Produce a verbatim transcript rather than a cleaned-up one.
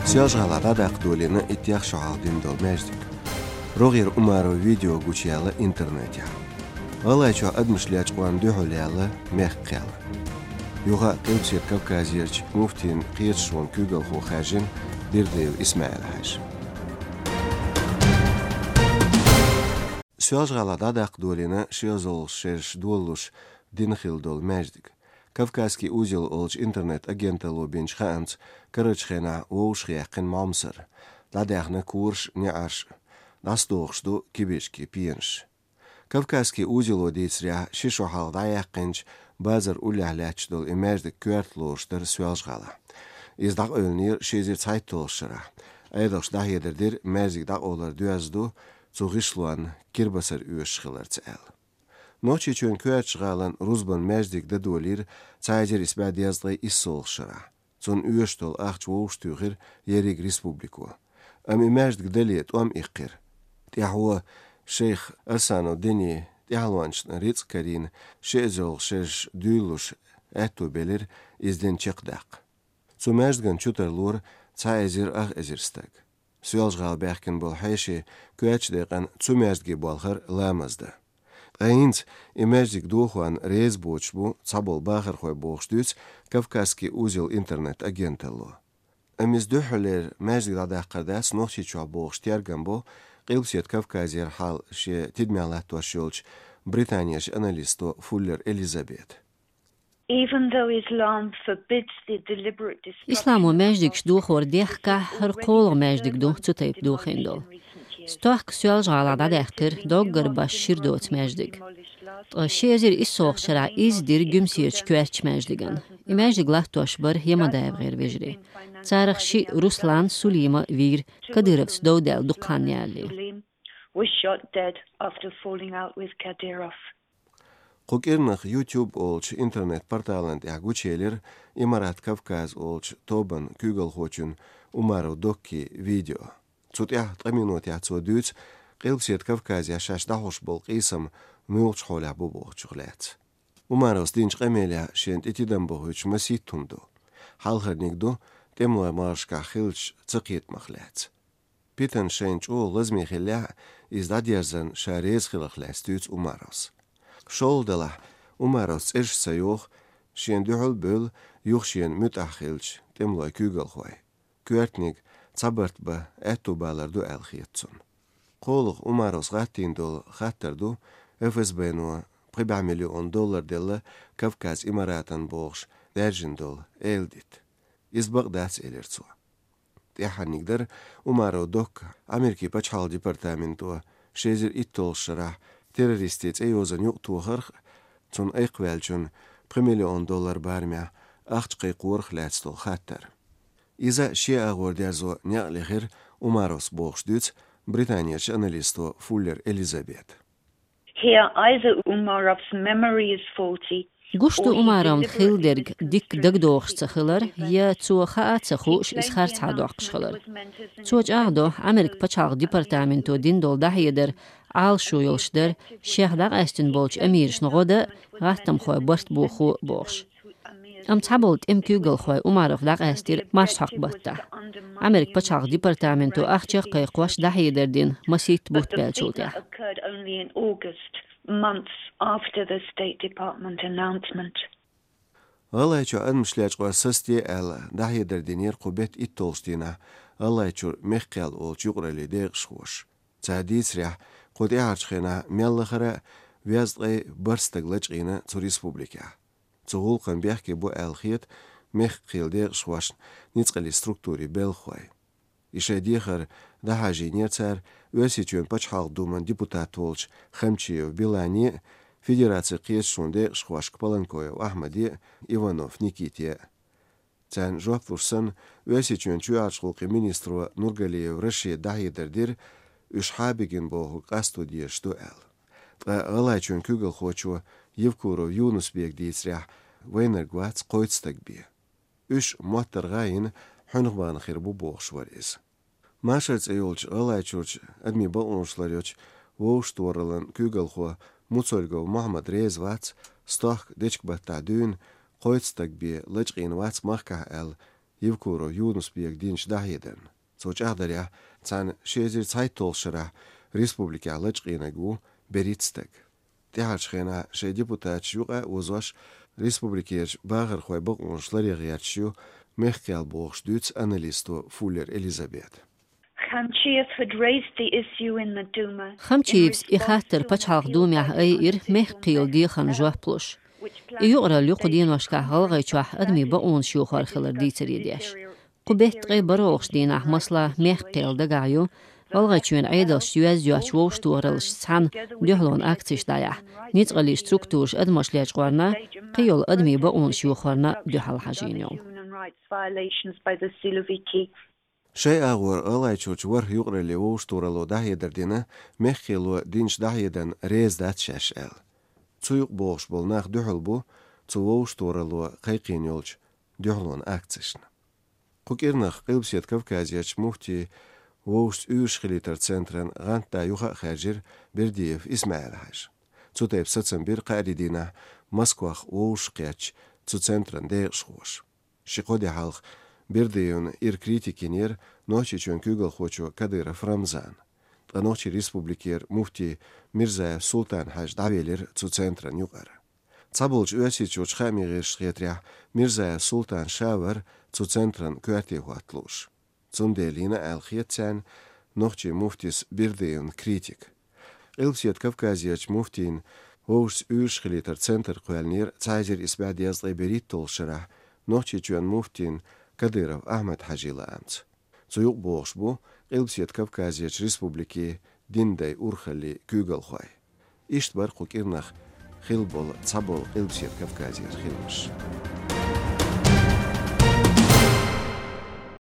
Соьлжа-ГӀалахь дӀадаккха долийна иттех шо хьалха дина долу маьждиг. РогӀера Умаров видео гучуяьлла интернетехь. ГӀалгӀайчохь адамаш лечкъорна дуьхьал яьлла мехкан кхел. Юха а Къилбаседа Кавказерчу муфтийн кхеташонан куьйгалхо хаьржина Бердыев Исмаил-Хьаьжа. Соьлжа-ГӀалахь дӀадаккха долийна ши эзарлагӀа шераш долалуш дина хилла долу маьждиг. «Кавказский узел» олучу интернет-агенталло бинчу хаамца, карарчу хенахь вовшахъяьккхина молмасара, дӀадаьхна кораш, неӀарш, дӀасадохуш ду кибарчкийн пенаш. «Кавказский узело» дийцарехь, ши шо хьалха дӀаяьккхинчу базар уллехь лаьтташ долу и маьждиг коьрта лоруш дара Соьлжа-ГӀалахь. Иза дӀакъевлинера ши эзар цхьайтталгӀачу шарахь. Ӏедалша дӀахьедар дира, маьждиг дӀакъовлар доьзна ду цу гӀишлонна кирбасар оьшуш хиларца аьлла. Нохчийчоьнан коьртачу гӀалин рузбанан маьждиг дан долийра цхьа эзар исс бӀе дезткъе иссалгӀачу шарахь. Цунна оьшуш долу ахча вовшахтуьйхира ерриг республико. Амма и маьждиг дале тӀом иккхира. ТӀаьхьо шайх Арсанов Дени тӀаьхьалончашна рицкъ карийна, ши эзарлагӀа шераш дуьйлалуш аьтто белира иза дин чекхдаккха. Цу маьждиган чу тарлора цхьа эзар ах эзар стаг. Соьлжа-ГӀала баьхкина болу хьеший коьртачу декъана цу маьждиге болхара ламаз дан. Ткъа хӀинца и маьждиг дохорна реза боцуш бу цхьаболу бахархой бохуш дуьйцу «Кавказский узел» интернет-агенталло. Амма иза дуьххьарлера маьждиг дӀадаккхар дац Нохчийчохь бохуш тергам бо Къилбаседа Кавказера хьал шен тидамехь латтош йолчу британерчу аналисто Фуллер Элизабета. Even though Islam forbids the deliberate destruction Исламо маьждигаш дохор дехкахь, хӀара кхоалгӀа маьждиг ду цу тайпа дохийна долу. Стохка Соьлжа-ГӀалахь дӀадаьккхира доггар башха шира доцу маьждиг. Ткъа ши эзар иссалгӀачу шарахь изза дира Гуьмсерчу коьртачу маьждиган. И маьждиг латтош бара ЯмадаевгӀеран вежарий. Царах шиъ Руслан, Сулима вийра, кадыровца дов даьлла дукха хан ялале. Was shot dead after falling out with Kadyrov. Кху кӀирнах YouTube олучу интернет-порталан тӀехь гучуелира «Имарат Кавказ» олучу тобан куьйгалхочун Умаров Доккин видео. Цу тӀехь ткъа минотехь цо дуьйцу Къилбаседа Кавказехь шаьш дӀахьош болу къийсам муьлхачу хьолехь бу бохучух лаьцна. Умаровс динчу къамелехь шена тӀе тидам бохуьйтуш масийтта хӀума ду. Хьалхарниг ду тӀемалойн могӀаршкахь хиллачу цакхетамах лаьцна. Питана шайна чӀогӀа лазаме хиллехь а, иза дӀадерзарна ша реза хиларх лаьцна дуьйцу Умаровс. ШолгӀа делахь, Умаровс цӀераш ца йоху, шена дуьхьал а бевлла, юха шена муьтӀахь хиллачу тӀемалойн куьйгалхой. Коьртаниг цхьабарт бан аьтто балар ду аьлла хета цунна. КхоалгӀа Умаровс гӀаттийна долу хаттар ду ФСБ-но пхи бӀе миллион доллар делла Кавказ Имаратан бохуш даьржина долу эладита. Иза бакъ дац, элира цо. ТӀаьххьарниг дара Умаров Докка Америкин пачхьалкхан департаменто ши эзар итталгӀачу шарахь террористийн цӀейозанна юкъатохарх а, цунна айкхваьллачунна пхи миллион доллар барамехь ахча кхайкхорах лаьцна долу хаттар. Иза шен агӀор дерзо некъ лехира Умаровс бохуш дуьйцу Британерчу аналисто Фуллер Элизабета. Here either Umarov's memory is faulty, Гуш ду Умаровна хилла дерг дикка дагадогӀуш ца хилар, я цо хаа а ца хууш, иза харцахьа доккхуш хилар. Цо чӀагӀдо, Америкин пачхьалкхан департаменто дина долу дӀахьедар Ӏалашо йолуш дара, шех дӀакъаьстина болчу амирашна гӀо дан а, гӀаттамхойн барт бохо а бохуш. Амма цхьаболу тӀеман куьйгалхой Умаров дӀакъаьстира марсхьокху баттахь. Америкин пачхьалкхан департаменто ахча а кхайкхош дӀахьедар дина масийтта бутт баьллачул тӀаьхьа. Occurred only in August, months after the State Department announcement. ГӀалгӀайчохь адамаш лечкъор сацаде аьлла, дӀахьедар динера кху беттан итталгӀачу дийнахь ГӀалгӀайчуьра Мехкан кхел олучу юкъараллин декъашхоша. Цара дийцарехь, кху тӀаьхьарчу хенахь мел лахара а везткъе бархӀ стаг лачкъийна цу республикехь. Цу гӀуллакхна бехке бу аьлла хета Мехкан кхелан декъашхошна ницкъаллин структурийн белхахой. И шайн дехар дӀахьажийнера цара Оьрсийчоьнан Пачхьалкхан Думан депутат волчу Хамчиев Билане а, Федерацин кхеташонан декъашхошка Паланкоев Ахьмаде а, Иванов Никите а. Царна жоп луш санна, Оьрсийчоьнан чоьхьарчу гӀуллакхийн министро Нургалиев Рашида дӀахьедар дира, уьш хьабигина бохург къасто дезаш ду аьлла. Ткъа ГӀалгӀайчоьнан куьйгалхочо Евкуров Юнус-Бека дийцарехь, вайнарг вац кхойтта стаг бен. Уьш моттаргӀа а йина, хьуьнах бахана хир бу бохуш вара иза. Машар цӀе йолчу ГӀалгӀайчуьрчу адамийн бакъонаш ларъечу вовшахтохараллин куьйгалхо Муцольгов Мухьаммад реза вац, стохка дечкен-баттахь дуьйна кхойтта стаг бен лачкъийна вац махкахь аьлла, Евкуров Юнус-Бека динчу дӀахьедарна. Цо чӀагӀдарехь, цхьана ши эзар цхьайтталгӀачу шарахь республикехь лачкъийнарг ву берхӀитта стаг. ТӀаьхьарчу хенахь шайн депутаташ юкъа а озош, республикерчу бахархойн бакъонаш ларъян гӀерташ ю мехкан кхел бохуш дуьйцу аналисто Фуллер Элизабета. Khamchiev had raised the issue in the Duma. Хамчиевс и хаттар Пачхьалкхан Думехь айира мехкан кхелан дехарна жоп луш. И юкъаралла ю кху деношкахь ГӀалгӀайчохь адамийн бакъонаш йохор хилар дийцаре деш. Кху беттан ткъе бархӀалгӀачу дийнахь, масала, мехкан кхел дагахь ю, ГӀалгӀайчоьнан Ӏедалшца йоьзна йоцчу вовшахтохараллашца цхьаьна дуьхьалонан акцеш дӀаяхьа, ницкъаллин структураш адамаш лечкъорна, кхийолу адамийн бакъонаш йохорна дуьхьал хьажийна йолу. Шайн агӀор ГӀалгӀайчуьрчу ворхӀ юкъараллин вовшахтохаралло дӀахьедар дина, мехкан кхело динчу дӀахьедарна реза дац шаьш аьлла. Цу юкъа богӀуш болу нах дуьхьал бу цу вовшахтохаралло кхайкхийна йолчу дуьхьалонан акцешна. Кху кӀирнах Къилбаседа Кавказерчу муфтийн вовшашца уьйраш хилийтаран центран гӀантда юха а хаьржира Бердиев ИсмаӀил-Хьаьжа. Цу тайпа сацам бира кхаарин дийнахь Москвахь вовшахкхеттачу цу центран декъашхоша. Ши-кхо де хьалха Бердиевна ира критика йинера Нохчийчоьнан куьйгалхочо Кадыров Рамзана. Ткъа Нохчийн Республикера муфти Мирзаев Султан-Хьаьжа дӀавелира цу центран юкъара. Цхьаболчу Оьрсийчуьрчу хаамийн гӀирсашна хетарехь, Мирзаев Султан ша вара цу центран коьрте хӀотта лууш. Цундела йина аьлла хета царна нохчийн муфтис Бердиевна критика. Къилбаседа Кавказерчу муфтийн вовшашца уьйраш хилийтаран центр кхоьллинера цхьа эзар исс бӀе дезткъе берхӀитталгӀачу шарахь Нохчийчоьнан муфтин Кадыров Ахьмад-Хьаьжин лаамца. Цу юкъа богӀуш бу Къилбаседа Кавказерчу республикийн динан дай урхаллин куьйгалхой. Иштта бара кху кӀирнах хилла болу цхьаболу Къилбаседа Кавказера хиламаш.